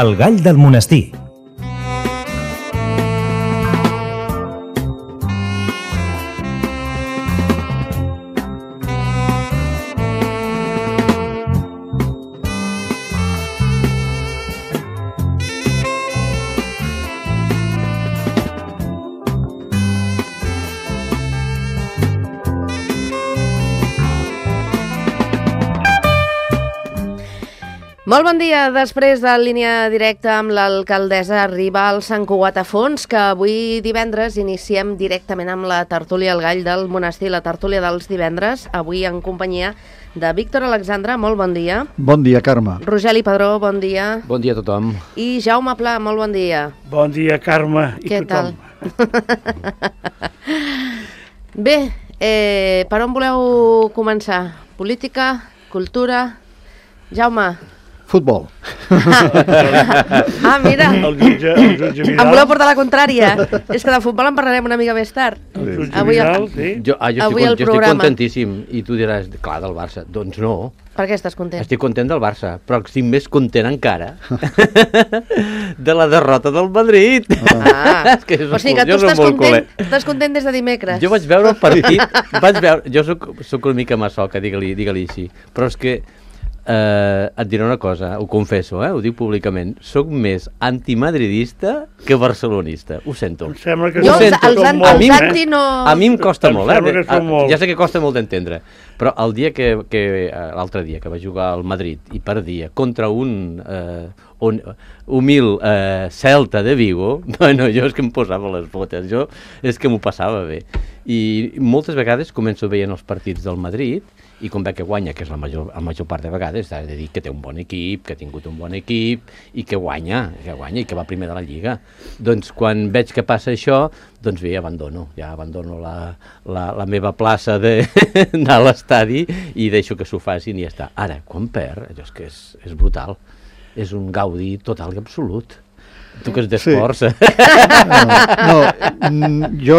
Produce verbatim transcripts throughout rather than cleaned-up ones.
El gall del monestir. Molt bon dia. Després de línia directa amb l'alcaldessa arriba el Sant Cugat a fons, que avui divendres iniciem directament amb la tertúlia El Gall del Monestir, la tertúlia dels divendres, avui en companyia de Víctor Alexandre. Molt bon dia. Bon dia, Carme. Rogeli Padró, bon dia. Bon dia a tothom. I Jaume Pla, molt bon dia. Bon dia, Carme, i Què tothom. Tal? Bé, eh, per on voleu començar? Política? Cultura? Jaume? Futbol. Ah, mira. El jutge, el jutge Em Vidal. voleu portar la contrària. És que de futbol en parlarem una mica més tard. El jutge Avui el- Vidal, sí. Jo, ah, jo, Avui estic, el jo estic programa. contentíssim i tu diràs, clar, del Barça. Doncs no, Per què estàs content? estic content del Barça, però estic més content encara de la derrota del Madrid. Ah, És que és o sigui que jo tu soc estàs molt content, culer. estàs content des de dimecres. Jo vaig veure el partit, vaig veure, jo soc, soc una mica massoca, digue-li digue-li així, però és que eh, et diré una cosa, ho confesso, eh, ho dic públicament, soc més antimadridista que barcelonista, ho sento. Em sembla que Jo Ho els, sento. els, an, A els mi- anti no... A mi em costa Em molt, sembla eh? que són molts. Ja sé que costa molt d'entendre, però el dia que, que l'altre dia que va jugar al Madrid i perdia contra un, eh, un humil eh, Celta de Vigo, bueno, jo és que em posava les botes, jo és que m'ho passava bé. I moltes vegades començo veient els partits del Madrid i com veig que guanya, que és la major, la major part de vegades, s'ha de dir que té un bon equip, que ha tingut un bon equip i que guanya, que guanya i que va primer de la Lliga. Doncs quan veig que passa això, doncs bé, abandono, ja abandono la, la, la meva plaça de- d'anar a l'estadi i deixo que s'ho facin i ja està. Ara, quan perd, allò és que és, és brutal, és un gaudi total i absolut. Tu que ets d'esports. Sí. No, no, jo...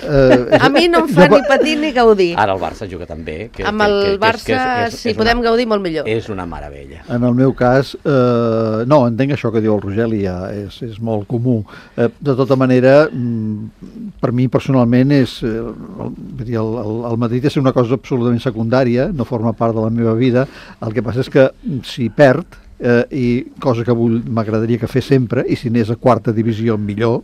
Eh, A mi no em fa jo- ni patir ni gaudir. Ara el Barça juga també. Que, Amb que, el que, que, Barça, que és, és, si és podem una, gaudir, molt millor. És una meravella. En el meu cas, eh, no, entenc això que diu el Rogeli, ja és, és molt comú. Eh, de tota manera, mm, per mi personalment és, eh, el, vull dir, el, el, el Madrid és una cosa absolutament secundària, no forma part de la meva vida. El que passa és que si perd, eh, i cosa que vull, m'agradaria que fes sempre, i si anés a quarta divisió millor,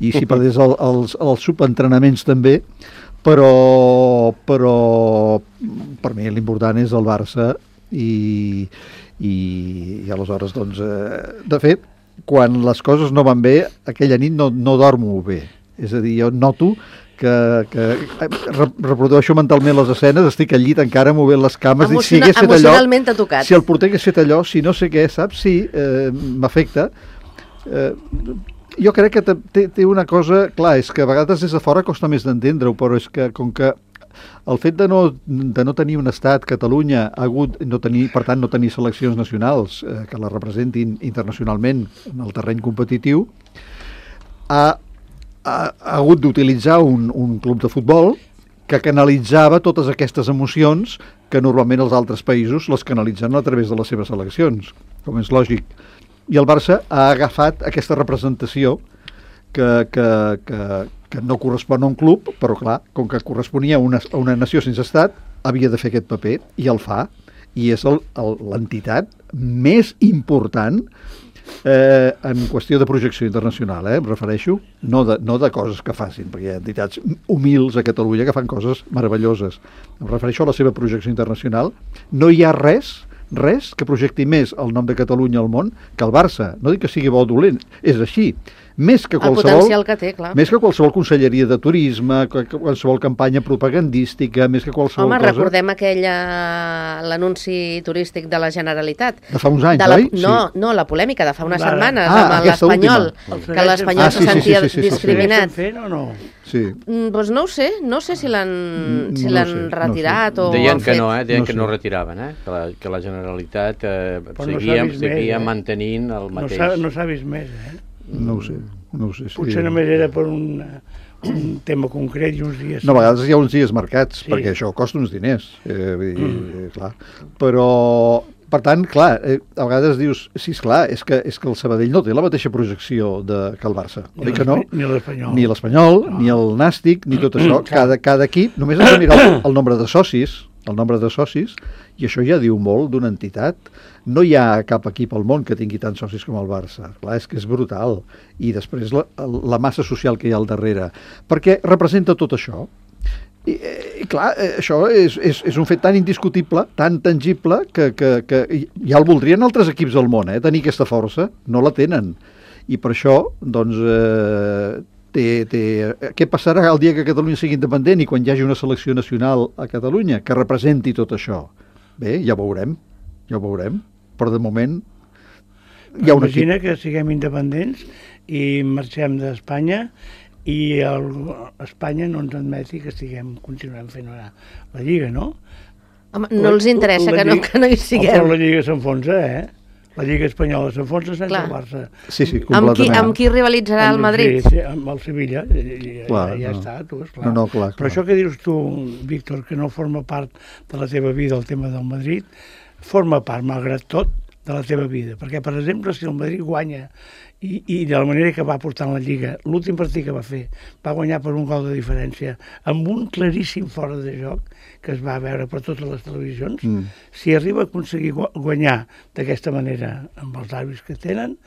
i si perdés el, els, els subentrenaments també, però, però per mi l'important és el Barça i, i, i aleshores doncs, eh, de fet, quan les coses no van bé, aquella nit no, no dormo bé, és a dir, jo noto que, que re, reprodueixo mentalment les escenes, estic al llit encara movent les cames, dic, si Emociona, hagués fet allò, emocionalment t'ha tocat. si el porter hagués fet allò, si no sé què, saps? Sí, eh, m'afecta. Eh, jo crec que té, té- té una cosa, clar, és que a vegades des de fora costa més d'entendre-ho, però és que com que el fet de no, de no tenir un estat, Catalunya, ha hagut, no tenir, per tant, no tenir seleccions nacionals eh, que la representin internacionalment en el terreny competitiu, ha, ha, ha hagut d'utilitzar un, un club de futbol que canalitzava totes aquestes emocions que normalment els altres països les canalitzen a través de les seves seleccions, com és lògic. I el Barça ha agafat aquesta representació que, que, que, que no correspon a un club, però clar, com que corresponia a una, a una nació sense estat, havia de fer aquest paper, i el fa, i és el- el- l'entitat més important eh, en qüestió de projecció internacional, eh, em refereixo, no de, no de coses que facin, perquè hi ha entitats humils a Catalunya que fan coses meravelloses. Em refereixo a la seva projecció internacional. No hi ha res, res que projecti més el nom de Catalunya al món que el Barça. No dic que sigui bo o dolent, és així. Més que El qualsevol... potencial que té, clar. Més que qualsevol conselleria de turisme, que que qualsevol campanya propagandística, més que qualsevol Home, cosa... recordem aquella... l'anunci turístic de la Generalitat. De fa uns anys, de la, oi? No, no, la polèmica de fa unes Ara. setmanes, Ah, amb aquesta l'Espanyol, última. que l'Espanyol Ah, se sí, sí, sentia sí, sí, sí, sí. discriminat. Estem fent o no? Sí. Mm, Doncs no ho sé, no sé si l'han Mm, si no l'han sé, no retirat sé. o Deien han que fet. no, eh? Deien No que sé. no retiraven, eh? Que la, que la Generalitat eh, Però no seguia, s'ha vist seguia més, eh? mantenint el No mateix. s'ha no s'ha vist més, eh? No ho sé, no ho sé. Sí. Potser només era per un, un tema concret i uns dies... No, a vegades hi ha uns dies marcats, Sí. perquè això costa uns diners, eh, vull dir, mm. clar. Però, per tant, clar, eh, a vegades dius, sí, esclar, és que, és que el Sabadell no té la mateixa projecció de, que el Barça. Ni que no? Ni l'Espanyol. Ni l'Espanyol, no. Ni el Nàstic, ni tot això. Cada, cada equip, només has de mirar el, el nombre de socis, el nombre de socis, i això ja diu molt d'una entitat. No hi ha cap equip al món que tingui tants socis com el Barça. Clar, és que és brutal. I després la, la massa social que hi ha al darrere. Perquè representa tot això. I, i clar, això és, és, és un fet tan indiscutible, tan tangible, que, que, que ja el voldrien altres equips del món, eh, tenir aquesta força. No la tenen. I per això, doncs, eh, té, té, què passarà el dia que Catalunya sigui independent i quan hi hagi una selecció nacional a Catalunya que representi tot això? Bé, ja ho veurem, ja ho veurem. Però de moment hi ha un Imagina equip. que siguem independents i marxem d'Espanya i el, Espanya no ens admeti que estiguem continuem fent la, la Lliga, no? Home, no els interessa la que, no, Lliga, que no hi siguem. Però la Lliga s'enfonsa, eh? La Lliga espanyola s'enfonsa sense Clar. el Barça. Sí, sí, Amb qui, completament. amb qui rivalitzarà el Madrid? Sí, sí, amb el Sevilla. Ja, Clar, ja no. està, tu, esclar. No, no, clar, Però clar. això que dius tu, Víctor, que no forma part de la teva vida el tema del Madrid, forma part, malgrat tot, de la teva vida. Perquè, per exemple, si el Madrid guanya i, i de la manera que va portar en la Lliga, l'últim partit que va fer, va guanyar per un gol de diferència, amb un claríssim fora de joc, que es va veure per totes les televisions, Mm. si arriba a aconseguir gu- guanyar d'aquesta manera amb els àrbitres que tenen,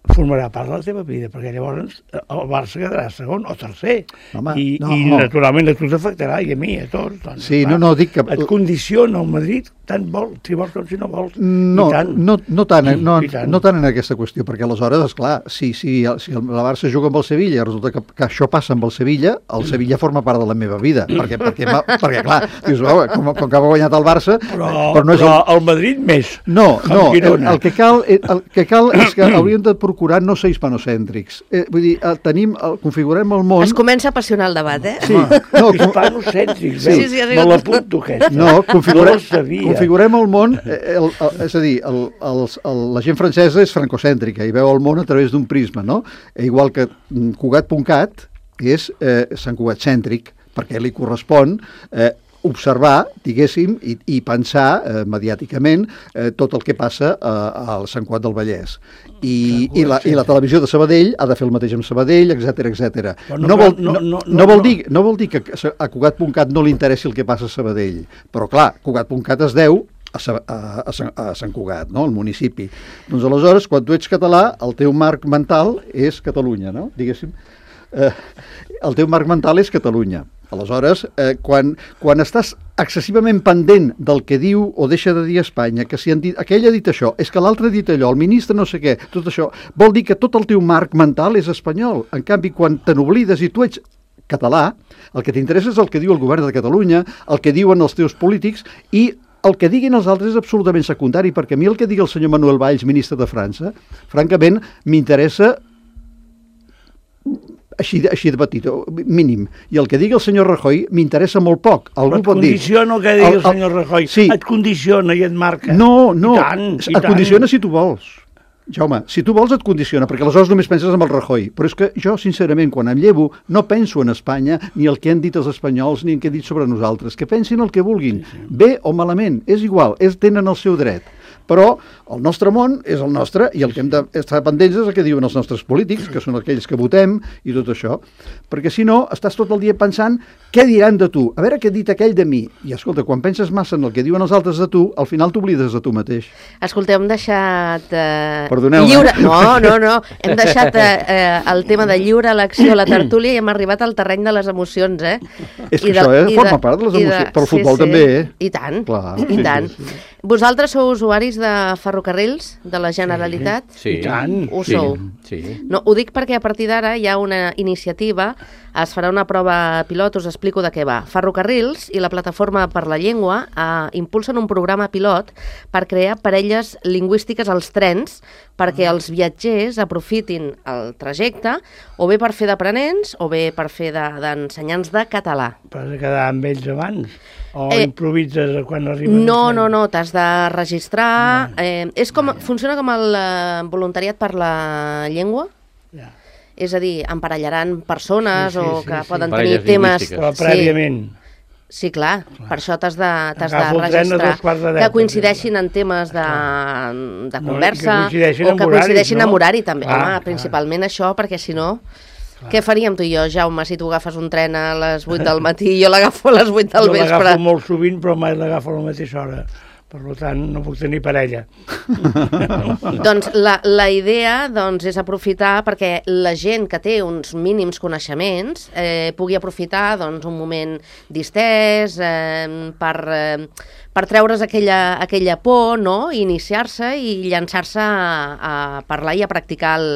formarà part de la teva vida, perquè llavors el Barça quedarà segon o tercer. Home, I, no. i naturalment a tu t'afectarà, i a mi, a tots. Doncs, Sí, clar, no, no, dic que- Et condiciona el Madrid, tant vol, si vols com si no vols. No, I tant. no, no, tant, no, I tant. no tant en aquesta qüestió, perquè aleshores, esclar, si, si, si el la Barça juga amb el Sevilla i resulta que, que això passa amb el Sevilla, el Sevilla forma part de la meva vida, perquè, perquè, perquè, perquè clar, dius, oh, com, com que ha guanyat el Barça, Però, però no és però el... el Madrid més. No, amb no, el, Girona. el, que cal, el que cal és que hauríem de procurar no ser hispanocèntrics. Eh, vull dir, el, tenim, el, configurem el món... Es comença a apassionar el debat, eh? Sí, no, com, Hispanocèntrics, Sí, veus? sí, ha Me sigut- l'apunto, aquesta. no, configurem, No ho sabia. configurem el món, eh, el, el, és a dir, el, el, el, la gent francesa és francocèntrica i veu el món a través d'un prisma, no? E igual que mm, Cugat.cat és eh, Sant Cugat cèntric, perquè li correspon eh, observar, diguéssim, i, i pensar eh, mediàticament eh, tot el que passa eh, al Sant Cugat del Vallès. I, i, la, I la televisió de Sabadell ha de fer el mateix amb Sabadell, etcètera, etcètera. Però no No, vol, cal- no- no, no- no, vol no- dir, no vol dir que a Cugat.cat no li interessi el que passa a Sabadell, però clar, Cugat.cat es deu a, Sa- a, a, Sant- a Sant Cugat, no? El municipi. Doncs aleshores, quan tu ets català, el teu marc mental és Catalunya, no? Diguéssim. Eh, el teu marc mental és Catalunya. Aleshores, eh, quan, quan estàs excessivament pendent del que diu o deixa de dir Espanya, que si han dit, aquell ha dit això, és que l'altre ha dit allò, el ministre no sé què, tot això, vol dir que tot el teu marc mental és espanyol. En canvi, quan te n'oblides i tu ets català, el que t'interessa és el que diu el govern de Catalunya, el que diuen els teus polítics, i el que diguin els altres és absolutament secundari, perquè a mi el que digui el senyor Manuel Valls, ministre de França, francament m'interessa així, de- així de petit, o mínim. I el que digui el senyor Rajoy m'interessa molt poc. Algú Et pot dir... condiciona el que digui el senyor Rajoy. Sí. Et condiciona i et marca. No, no, I tant, i et tant. condiciona si tu vols. Jaume, si tu vols et condiciona, perquè aleshores només penses en el Rajoy. Però és que jo, sincerament, quan em llevo, no penso en Espanya, ni el que han dit els espanyols, ni el que han dit sobre nosaltres. Que pensin el que vulguin, sí, sí. Bé o malament, és igual, és, tenen el seu dret. Però el nostre món és el nostre i el que hem d'estar pendents és el que diuen els nostres polítics, que són aquells que votem i tot això. Perquè si no, estàs tot el dia pensant què diran de tu, a veure què ha dit aquell de mi. I escolta, quan penses massa en el que diuen els altres de tu, al final t'oblides de tu mateix. Escolteu, hem deixat eh, Perdoneu-me. lliure... No, no, no. Hem deixat eh, eh, el tema de lliure elecció a la tertúlia i hem arribat al terreny de les emocions, eh? És que I de- això, eh, i forma de- part de les i emocions. Però el futbol també, eh? I tant, Clar, i sí, tant. sí, sí. Vosaltres sou usuaris de ferrocarrils de la Generalitat? Sí. I tant. Ho sí, sou. Sí. No, ho dic perquè a partir d'ara hi ha una iniciativa, es farà una prova pilot, us explico de què va. Ferrocarrils i la Plataforma per la Llengua eh, impulsen un programa pilot per crear parelles lingüístiques als trens perquè els viatgers aprofitin el trajecte o bé per fer d'aprenents o bé per fer de- d'ensenyants de català. Però has de quedar amb ells abans? O Eh, improvises quan arriben? No, al no, tren? no, t'has de registrar. Eh, és com, funciona com el eh, voluntariat per la llengua. Ja. És a dir, emparellaran persones Sí, sí, o sí, que sí. poden Parelles tenir temes... lingüístiques. Però prèviament. Sí, clar, clar. Per això t'has de, t'has de Agafo el tren a dos registrar, quarts de deu, que per coincideixin exemple. en temes de, de No, conversa, que coincideixin o amb que horaris, coincideixin no? amb horari també. Clar, Home, clar. principalment això, perquè si no... Què faríem tu i jo, Jaume, si tu agafes un tren a les vuit del matí i jo l'agafo a les vuit del Jo vespre? l'agafo molt sovint, però mai l'agafo a la mateixa hora. Per tant, no puc tenir parella. Doncs la, la idea doncs, és aprofitar perquè la gent que té uns mínims coneixements eh, pugui aprofitar doncs, un moment distès eh, per, eh, per treure's aquella, aquella por, no? I iniciar-se i llançar-se a, a parlar i a practicar el,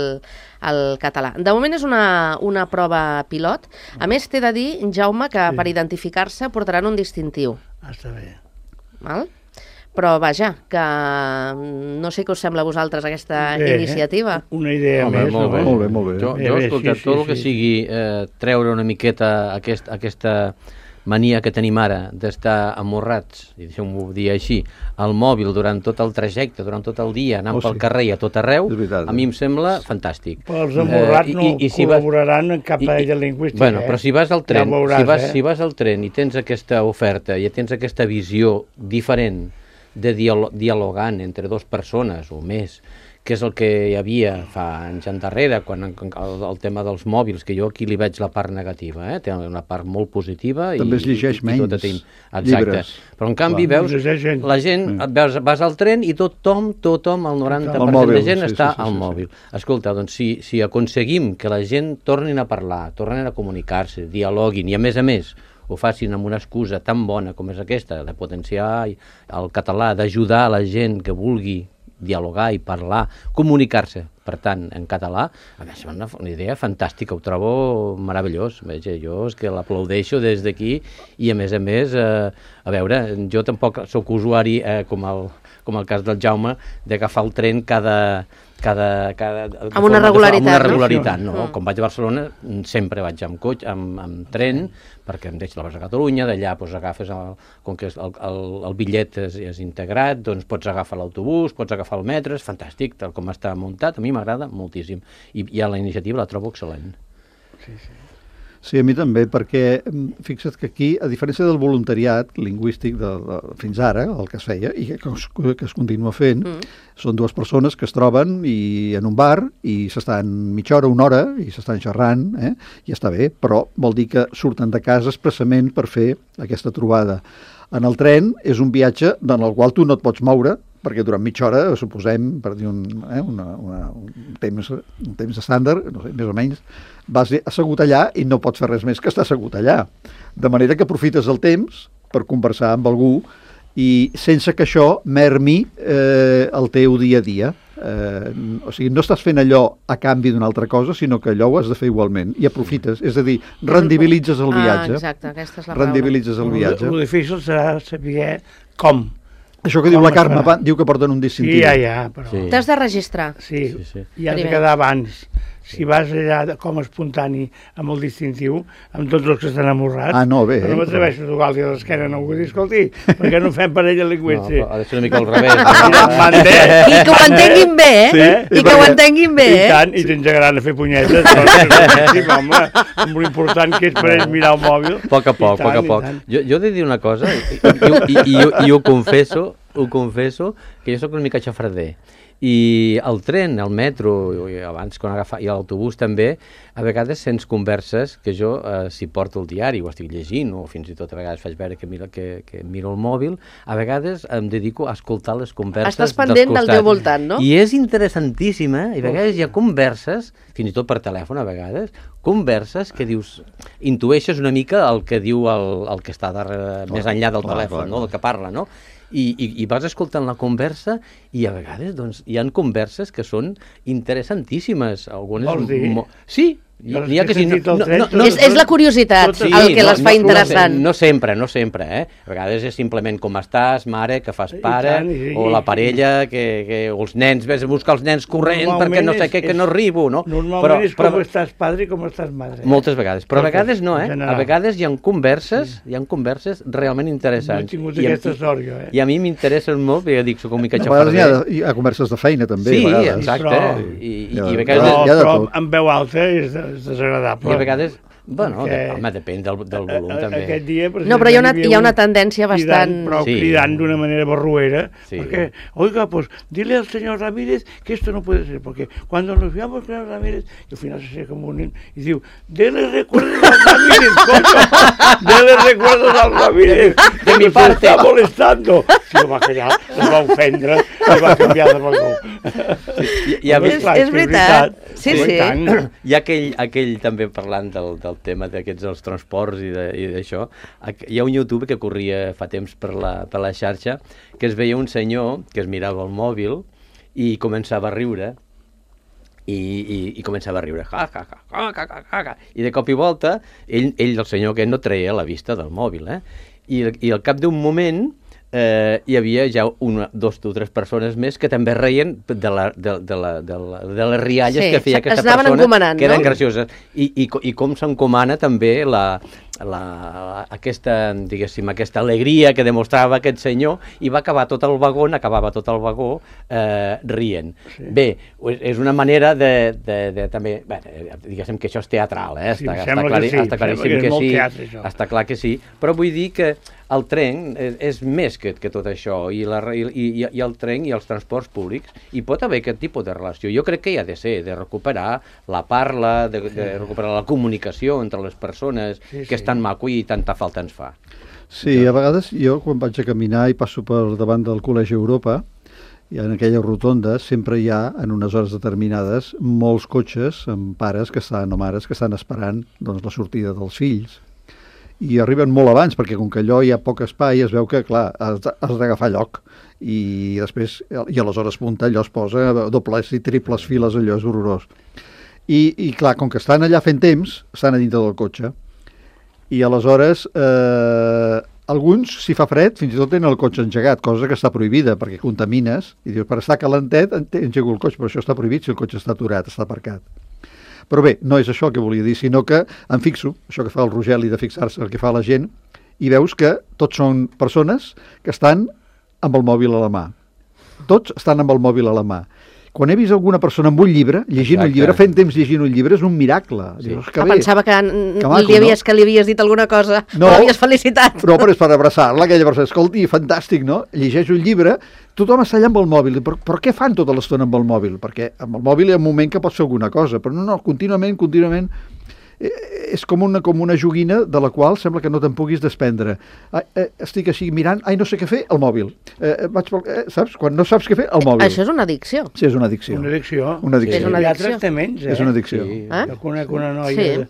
el català. De moment és una, una prova pilot. A més, t'he de dir, Jaume, que Sí. per identificar-se portaran un distintiu. Ah, està bé. Val? Però vaja, que no sé què us sembla a vosaltres aquesta Bé, iniciativa. Una idea Home, més. molt bé. no? Molt bé, molt bé. Jo, Bé, jo bé, escolta, sí, tot sí, el que sí. sigui eh, treure una miqueta aquest, aquesta mania que tenim ara d'estar amorrats, i deixeu-m'ho dir així, al mòbil durant tot el trajecte, durant tot el dia, anant Oh, pel sí. carrer i a tot arreu, És veritat, a mi eh? em sembla fantàstic. Però els amorrats Eh, i- no i- i si vas- col·laboraran en cap I- i- parella lingüística. Bueno, eh? però si vas al tren, Ja ho veuràs, si, vas, eh? si vas al tren i tens aquesta oferta i tens aquesta visió diferent de dialo dialogant entre dues persones o més, que és el que hi havia fa anys endarrere, quan el, el tema dels mòbils, que jo aquí li veig la part negativa, eh? Té una part molt positiva. També es llegeix i, i, i menys tot tenim. Exacte. llibres. Però en canvi Clar. veus, Llegeix gent. la gent, et veus, vas al tren i tothom, tothom, el noranta per cent Al mòbil, de gent sí, està sí, sí, al sí, sí. mòbil. Escolta, doncs si, si aconseguim que la gent tornin a parlar, tornin a comunicar-se, dialoguin, i a més a més ho facin amb una excusa tan bona com és aquesta, de potenciar el català, d'ajudar a la gent que vulgui dialogar i parlar, comunicar-se, per tant, en català, a més, és una, una idea fantàstica, ho trobo meravellós. Veja, jo és que l'aplaudeixo des d'aquí i, a més a més, eh, a veure, jo tampoc sóc usuari, eh, com, el, com el cas del Jaume, d'agafar el tren cada... cada, cada de Amb una forma- de- regularitat, amb una no? regularitat, no? Mm. Com vaig a Barcelona, sempre vaig amb cotxe, amb, amb tren, perquè em deixo la vas a Catalunya, d'allà doncs, agafes, el, com que el, el, el bitllet és, és integrat, doncs pots agafar l'autobús, pots agafar el metro, és fantàstic, tal com està muntat, a mi m'agrada moltíssim, i, i a la iniciativa la trobo excel·lent. Sí, sí. Sí, a mi també, perquè mm, fixa't que aquí, a diferència del voluntariat lingüístic de, de, fins ara, el que es feia, i que es, que es continua fent, mm. són dues persones que es troben i en un bar i s'estan mitja hora, una hora, i s'estan xerrant, eh? I està bé, però vol dir que surten de casa expressament per fer aquesta trobada. En el tren és un viatge en el qual tu no et pots moure, perquè durant mitja hora, suposem, per dir un, eh, una, una, un, temps, un temps estàndard, no sé, més o menys, vas assegut allà i no pots fer res més que estar assegut allà. De manera que aprofites el temps per conversar amb algú i sense que això mermi eh, el teu dia a dia. Eh, o sigui, no estàs fent allò a canvi d'una altra cosa, sinó que allò ho has de fer igualment i aprofites, és a dir, rendibilitzes el viatge. Ah, exacte, aquesta és la paraula. rendibilitzes el viatge. El difícil serà saber com. Això que diu Com la es Carme, farà? va, diu que porten un Sí, distintiu. ja, ja, però... Sí. T'has de registrar. Sí, Sí, sí. i has de Primer. quedar abans. Si vas allà de- com a espontani amb el distintiu, amb tots els que estan amorrats, Ah, no, bé, però no eh, m'atreveixo a tocar-li a l'esquena a algú i dir, escolti, perquè no fem parella No, lingüística? però ha de ser una mica al revés. M'entén? I que ho entenguin bé, eh? Sí, I que ho entenguin bé, I eh? tant, i t'engegaran a fer punyetes. Doncs, sí, home, amb l'important que és per ells mirar el mòbil. A poc a poc, I a poc a tant, i poc. tant. Jo, jo he de dir una cosa, i, i, i, i, i, i ho confesso, ho confesso, que jo sóc una mica xafarder. I el tren, el metro, i abans quan agafa, i l'autobús també, a vegades sents converses que jo, eh, si porto el diari, ho estic llegint, o fins i tot a vegades faig veure que miro, que, que miro el mòbil, a vegades em dedico a escoltar les converses Estàs dels pendent del costats. teu voltant, no? I és interessantíssima, i a vegades hi ha converses, fins i tot per telèfon a vegades, converses que dius, intueixes una mica el que diu el, el que està darrere, més enllà del clar, telèfon, clar, no? clar. El que parla, no? I, i, i vas escoltant la conversa i a vegades doncs, hi han converses que són interessantíssimes. Algunes Vols dir? mo- Sí, Jo les n'hi ha que que he sí. No, sentit al no, tren, no, totes És, és la curiositat Totes- el que no, les fa no, interessant. No, no sempre, no sempre, eh? A vegades és simplement com estàs, mare, que fas I pare, tant, i- o la parella, que, que, o els nens, ves a buscar els nens corrent Normalment perquè no sé és- què, que és- no arribo, no? Normalment és com estàs padre i com estàs madre. Moltes vegades, però a Totes, vegades no, en eh? A general. vegades hi ha converses, hi ha converses realment No he interessants. tingut I a- aquesta sort, jo, eh? I a mi m'interessen molt, perquè dic, soc una mica A vegades hi ha, xafarder. de- hi ha converses de feina, també, Sí, a vegades. exacte. Però- I, i, Ja, i a ja, vegades... Però, hi ha de però tot. amb veu alta és, és desagradable. I a vegades Bueno, Perquè, de, home, depèn del, del volum, a, a, també. Aquest dia, No, però hi ha una, hi ha una tendència bastant... Cridant, però Sí. cridant d'una manera barruera, Sí. porque, oiga, pues dile al señor Ramírez que esto no puede ser, porque cuando nos veamos con el Ramírez, y al final se seca como un... y diu, dele recuerdos al Ramírez, coño, dele recuerdos al Ramírez, De mi nos parte. está molestando. Si lo va callar, es va ofendre, i va canviar de vagó. Hi, hi, ha, És- és veritat. Sí, sí. hi ha aquell, aquell també parlant del, del tema d'aquests dels transports i de- i d'això, aqu- hi ha un YouTube que corria fa temps per la, per la xarxa, que es veia un senyor que es mirava el mòbil i començava a riure, i, i, i començava a riure, ja, ja, ja, ja, ja, ja, ja. I de cop i volta, ell, ell el senyor aquest no treia la vista del mòbil, eh? I, i al cap d'un moment eh, hi havia ja una, dos o tres persones més que també reien de, la, de, de, la, de, la, de les rialles Sí, que feia es aquesta anaven persona, encomanant, que eren no? gracioses. I, i, co- i com s'encomana també la, la, aquesta, diguéssim, aquesta alegria que demostrava aquest senyor, i va acabar tot el vagó, acabava tot el vagó eh, rient. Sí. Bé, és una manera de, de, de també, bé, diguéssim que això és teatral, eh? Sí, està, em està, sembla clari, que sí, està em claríssim sembla que és que, molt sí, teatre, això. està clar que sí, però vull dir que el tren és, és més que, que tot això, i, la, i, i, i el tren i els transports públics, i pot haver aquest tipus de relació. Jo crec que hi ha de ser, de recuperar la parla, de, de recuperar la comunicació entre les persones, Sí, que és sí. tan maco i tanta falta ens fa. Sí, a vegades jo quan vaig a caminar i passo per davant del Col·legi Europa, i en aquella rotonda sempre hi ha, en unes hores determinades, molts cotxes amb pares que estan, o mares que estan esperant doncs, la sortida dels fills. I arriben molt abans, perquè com que allò hi ha poc espai, es veu que, clar, has de- has d'agafar lloc. I després, i a les hores punta, allò es posa dobles i triples files, allò és horrorós. I, i clar, com que estan allà fent temps, estan a dintre del cotxe. I aleshores, eh, alguns, si fa fred, fins i tot tenen el cotxe engegat, cosa que està prohibida, perquè contamines, i dius, per estar calentet, ente- engego el cotxe, però això està prohibit si el cotxe està aturat, està aparcat. Però bé, no és això el que volia dir, sinó que em fixo, això que fa el Rogeli de fixar-se, el que fa la gent, i veus que tots són persones que estan amb el mòbil a la mà. Tots estan amb el mòbil a la mà. Quan he vist alguna persona amb un llibre, llegint Exacte. un llibre, fent temps llegint un llibre, és un miracle. Sí. Dius, Que que bé. pensava que, Que maco, li havies, no? que li havies dit alguna cosa, No. o l'havies felicitat. No, però és per abraçar-la, aquella persona. Escolti, fantàstic, no? Llegeix un llibre, tothom està allà amb el mòbil. Per, per què fan tota l'estona amb el mòbil? Perquè amb el mòbil hi ha un moment que pots fer alguna cosa, però no, no, contínuament, contínuament... Eh, és com una, com una joguina de la qual sembla que no te'n puguis desprendre. Ah, eh, estic així mirant, ai, no sé què fer, el mòbil. Eh, vaig pel, eh, saps? Quan no saps què fer, el mòbil. Això és una addicció. Sí, és una addicció. Una addicció. Una addicció. És una Hi ha addicció. tractaments, eh? És una addicció. Sí. Eh? Jo conec una noia Sí. de,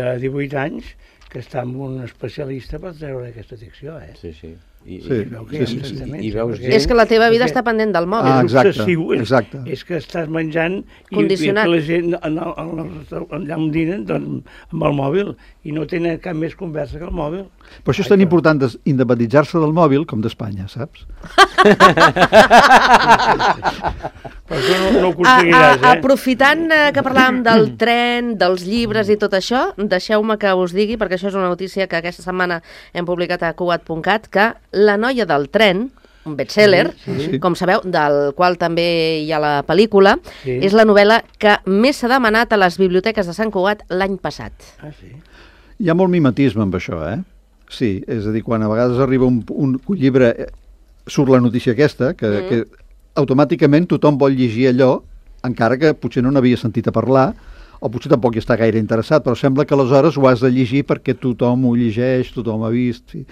de divuit anys que està amb un especialista per treure aquesta addicció, eh? Sí, sí. I, Sí. i, Veu que hi ha sí, sí, sí. tractaments, I veus eh? gent- És que la teva vida Perquè està pendent del mòbil. Ah, és exacte, obsessiu, és, exacte. és que estàs menjant i, Condicionat. i que la gent en el, en el, restaurant- allà on dinen doncs, amb el mòbil i no tenen cap més conversa que el mòbil. Per això és tan important des- independitzar-se del mòbil com d'Espanya, saps? Però això no, no ho A, a, aconseguiràs, eh? aprofitant eh, que parlàvem del tren, dels llibres i tot això, deixeu-me que us digui, perquè això és una notícia que aquesta setmana hem publicat a cugat punt cat, que La noia del tren, un bestseller, Sí, sí. com sabeu, del qual també hi ha la pel·lícula, Sí. és la novel·la que més s'ha demanat a les biblioteques de Sant Cugat l'any passat. Ah, sí? Hi ha molt mimetisme amb això, eh? Sí, és a dir, quan a vegades arriba un, un, un llibre, eh, surt la notícia aquesta, que, mm. que automàticament tothom vol llegir allò, encara que potser no n'havia sentit a parlar, o potser tampoc hi està gaire interessat, però sembla que aleshores ho has de llegir perquè tothom ho llegeix, tothom ha vist... Sí.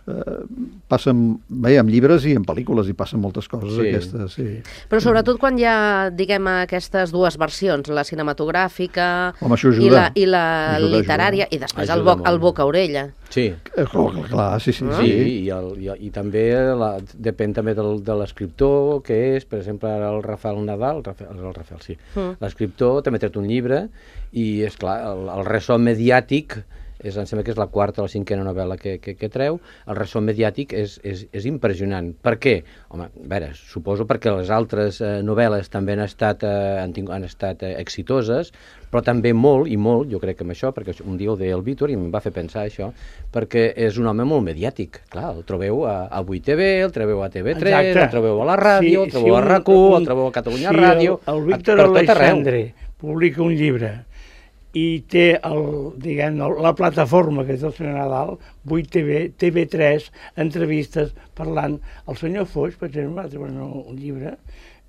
Uh, passen, bé, amb llibres i en pel·lícules, i passen moltes coses Sí. aquestes, sí. Però sobretot quan hi ha, diguem, aquestes dues versions, la cinematogràfica Home, això i ajuda. la, i la Ajuda, literària, ajuda. i després el, Ajuda bo, el molt. boca-orella. sí. Eh, clar, clar, sí, sí, Sí, sí. i, el, i, i també la, depèn també del, de l'escriptor que és, per exemple, ara el Rafael Nadal, el Rafael, el Rafael sí, Mm. l'escriptor també ha tret un llibre i, és clar, el, el ressò mediàtic, és, em sembla que és la quarta o la cinquena novel·la que, que, que treu, el ressò mediàtic és, és, és impressionant. Per què? Home, a veure, suposo perquè les altres eh, novel·les també han estat, eh, han, tingut, han estat eh, exitoses, però també molt, i molt, jo crec que amb això, perquè un dia ho deia el Víctor i em va fer pensar això, perquè és un home molt mediàtic. Clar, el trobeu a, a vuit T V, el trobeu a T V tres, Exacte. el trobeu a la ràdio, Sí, el trobeu sí, a RAC u, el trobeu a Catalunya si Ràdio, el, el a- Víctor per tot arreu. Alexandre publica un llibre i té el, diguem, la plataforma que és el senyor Nadal, vuit T V, T V tres, entrevistes parlant. El senyor Foix, per exemple, va treure un llibre,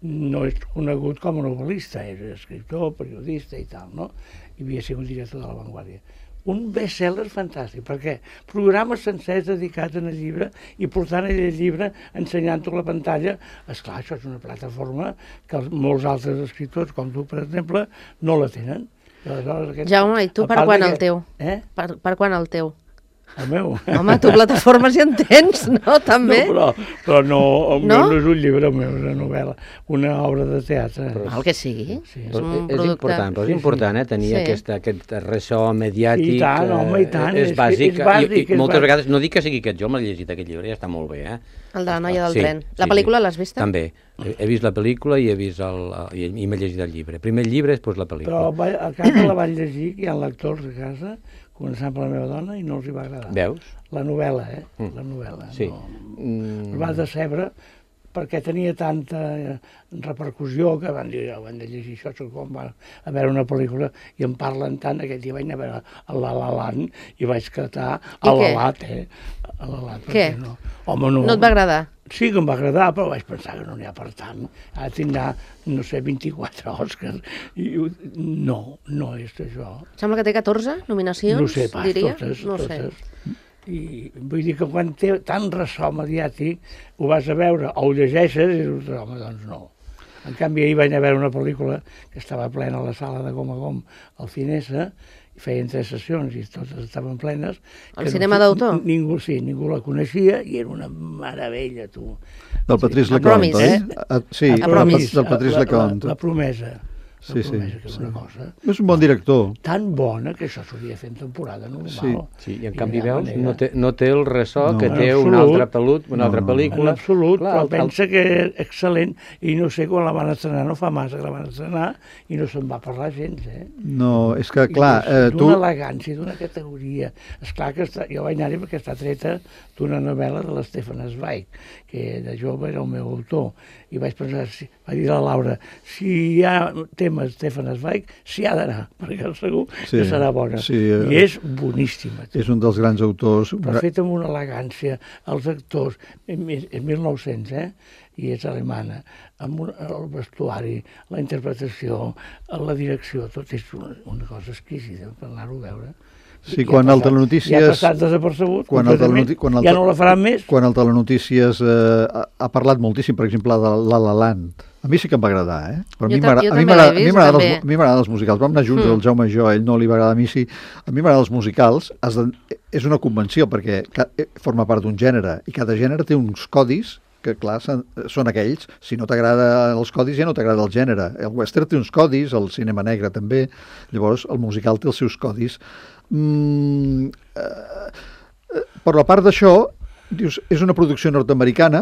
no és conegut com a novel·lista, és escriptor, periodista i tal, no? I havia sigut director de La Vanguardia. Un best-seller fantàstic, perquè programes sencers dedicats al llibre i portant el llibre ensenyant-ho a la pantalla. Esclar, això és una plataforma que molts altres escriptors, com tu, per exemple, no la tenen. Aquest... Jaume, i tu per quan que... el teu? Eh? Per, per quan el teu? El meu? Home, tu plataformes ja en tens, no? També? No, però, però no, el no? meu no és un llibre, el meu és una novel·la, una obra de teatre. Però, el que sigui. Sí. És, un és producte... important, però és important, eh, tenir sí. aquesta, aquest ressò mediàtic. I tant, home, i tant. És, és bàsic, és bàsic i, i moltes bàsic. vegades, no dic que sigui aquest, jo m'he llegit aquest llibre, ja està molt bé, eh? El de la noia del sí, tren. La sí, pel·lícula sí. l'has vista? També. He, he vist la pel·lícula i he vist el, i, i m'he llegit el llibre. Primer el llibre, després la pel·lícula. Però a casa la van llegir, que hi ha lectors a casa, començant per la meva dona, i no els hi va agradar. Veus? La novel·la, eh? Mm. La novel·la. Sí. No. Mm. Es va decebre perquè tenia tanta repercussió que van dir, oh, van de llegir això, quan va a veure una pel·lícula i en parlen tant, aquest dia vaig anar a veure el La La Land i vaig catar a la lat, eh? A la lat, què? No. Home, no. No et va agradar? Sí que em va agradar, però vaig pensar que no n'hi ha per tant. Ara tindrà, no sé, vint-i-quatre Oscars. I no, no és això. Sembla que té catorze nominacions, no sé pas, diria? totes, no totes. Sé. I vull dir que quan té tant ressò mediàtic, ho vas a veure o ho llegeixes i dius, home, doncs no. En canvi, ahir vaig anar a veure una pel·lícula que estava plena a la sala de Gom a Gom, al Cinesa, i feien tres sessions i totes estaven plenes. El cinema no, d'autor? Ningú, sí, ningú la coneixia i era una meravella, tu. Del Patrice Lecomte, oi? Eh? Sí, del Patrice Lecomte. La promesa. Sí, sí, que és sí. una cosa És un bon director. tan bona que això s'hauria de fer en temporada normal. Sí, sí i en I canvi veus, no té, no té el ressò no, que té absolut, una altra, pelut, una no, altra pel·lícula. En absolut, clar, però el, pensa que és excel·lent i no sé quan la van estrenar, no fa massa que la van estrenar i no se'n va parlar gens, eh? No, és que clar, eh, tu... D'una elegància, d'una categoria. Esclar que està, jo vaig anar-hi perquè està treta d'una novel·la de l'Stefan Zweig, que de jove era el meu autor, i vaig pensar, si, va dir la Laura, si hi ha temes Stefan Zweig, s'hi ha d'anar, perquè segur sí, que serà bona. Sí, I és boníssima. És un dels grans autors. Però fet amb una elegància, els actors, en mil nou-cents, eh? I és alemana, amb un, el vestuari, la interpretació, la direcció, tot és una, una cosa exquisida per anar-ho a veure. Sí, quan el Telenotícies... Ja ha passat desapercebut, quan el telenoti, quan el, ja no la faran més. Quan el Telenotícies eh, ha, ha parlat moltíssim, per exemple, de La La Land. A mi sí que em va agradar, eh? Però a mi m'agraden els musicals. Vam anar junts, mm. el Jaume i jo, a ell no li va agradar, a mi sí. A mi m'agraden els musicals. Has de, és una convenció, perquè forma part d'un gènere, i cada gènere té uns codis que, clar, són aquells. Si no t'agrada els codis, ja no t'agrada el gènere. El western té uns codis, el cinema negre també. Llavors, el musical té els seus codis. Mm, eh, per la part d'això, dius, és una producció nord-americana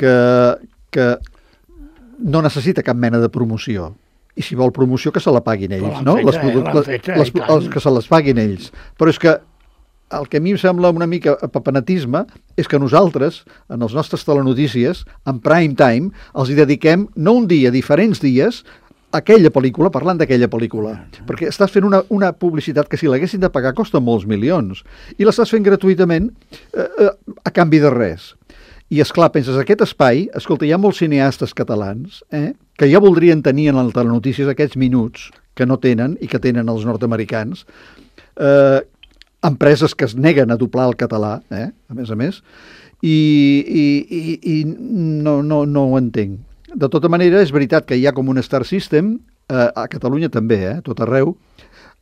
que, que no necessita cap mena de promoció. I si vol promoció, que se la paguin ells, no? Les, les, les, els que se les paguin ells. Però és que el que a mi em sembla una mica papenatisme és que nosaltres, en els nostres telenotícies, en prime time, els hi dediquem no un dia, diferents dies, aquella pel·lícula, parlant d'aquella pel·lícula. Perquè estàs fent una, una publicitat que si l'haguessin de pagar costa molts milions. I l'estàs fent gratuïtament eh, eh, a canvi de res. I, esclar, penses, aquest espai, escolta, hi ha molts cineastes catalans eh, que ja voldrien tenir en el Telenotícies aquests minuts que no tenen i que tenen els nord-americans, eh, empreses que es neguen a doblar el català, eh, a més a més, i, i, i, i no, no, no ho entenc. De tota manera, és veritat que hi ha com un star system, eh, a Catalunya també, eh, tot arreu,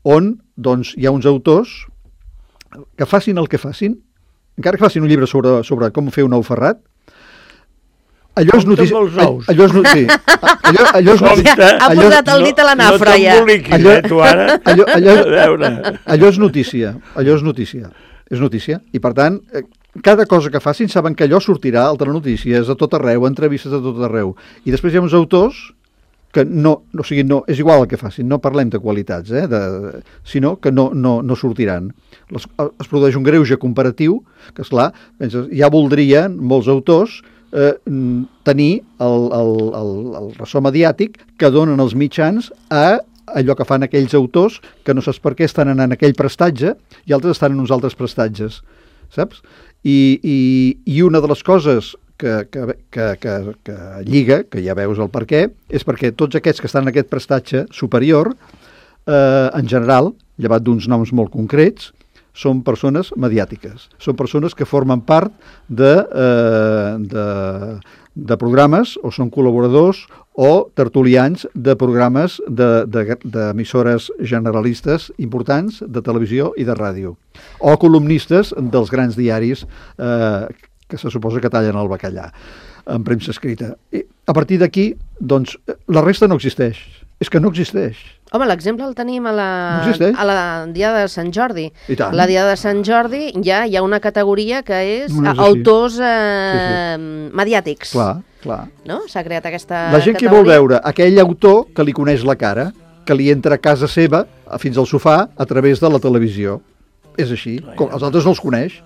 on doncs, hi ha uns autors que facin el que facin, encara que facin un llibre sobre, sobre com fer un ou ferrat, allò és notícia... Allò és notícia... Allò, allò és notícia... Ha posat el dit a la nafra, ja. Allò, tu ara. Allò, allò, allò és notícia. Allò és notícia. És notícia. I, per tant, cada cosa que facin saben que allò sortirà al Telenotícies, a tot arreu, entrevistes a tot arreu. I després hi ha uns autors que no, o sigui, no, és igual el que facin, no parlem de qualitats, eh, de, sinó que no, no, no sortiran. Les, es produeix un greuge comparatiu, que esclar, penses, ja voldrien molts autors eh, tenir el, el, el, el ressò mediàtic que donen els mitjans a allò que fan aquells autors que no saps per què estan en aquell prestatge i altres estan en uns altres prestatges, saps? I, i, i una de les coses que, que, que, que, que lliga, que ja veus el per què, és perquè tots aquests que estan en aquest prestatge superior, eh, en general, llevat d'uns noms molt concrets, són persones mediàtiques, són persones que formen part de, eh, de, de programes o són col·laboradors o tertulians de programes d'emissores de, de generalistes importants de televisió i de ràdio, o columnistes dels grans diaris eh, que se suposa que tallen el bacallà en premsa escrita. I a partir d'aquí, doncs, la resta no existeix. És que no existeix. Home, l'exemple el tenim a la, no a la Diada de Sant Jordi. I tant. La Diada de Sant Jordi ja hi ha una categoria que és, no és autors eh, sí, sí. mediàtics. Clar, clar. No? S'ha creat aquesta La gent categoria. que vol veure aquell autor que li coneix la cara, que li entra a casa seva, fins al sofà, a través de la televisió. És així. Com els altres no els coneix.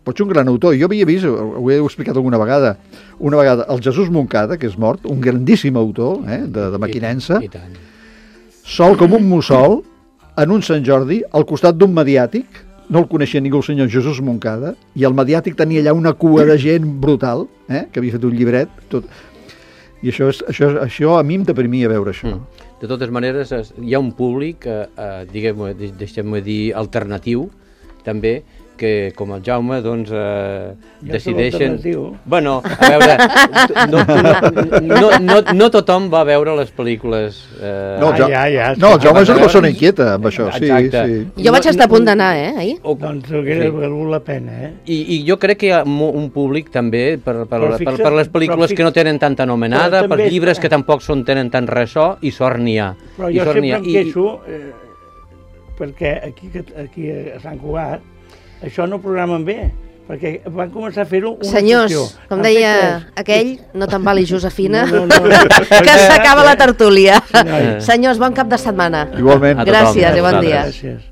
Pot ser un gran autor. Jo havia vist, ho he explicat alguna vegada, una vegada el Jesús Moncada, que és mort, un grandíssim autor eh, de, de maquinença, I, i tant. sol com un mussol, en un Sant Jordi, al costat d'un mediàtic, no el coneixia ningú el senyor Jesús Moncada, i el mediàtic tenia allà una cua de gent brutal, eh, que havia fet un llibret, tot. I això, és, això, això a mi em deprimia veure això. Mm. De totes maneres, hi ha un públic, eh, eh, diguem-ho, deixem-ho dir, alternatiu, també, que com el Jaume, doncs, eh, decideixen... Bueno, a veure, no, no, no, no, no tothom va veure les pel·lícules... Eh... No, el, ja, ja, no, el Jaume és una persona inquieta amb això, sí, sí. Jo vaig estar a punt d'anar, eh, ahir. O, doncs hauria sí. valgut la pena, eh? I, I jo crec que hi ha un públic també per, per, per, per les pel·lícules fixa, que no tenen tanta anomenada, per llibres que tampoc són, tenen tant ressò, i sort n'hi ha. Però jo sempre em queixo, eh, perquè aquí, aquí a Sant Cugat, això no ho programen bé, perquè van començar a fer-ho una Senyors, sessió. com deia aquell, no te'n vali Josefina, no, no, no. que s'acaba la tertúlia. Sí, Senyors, bon cap de setmana. Igualment. Gràcies i bon dia. Gràcies.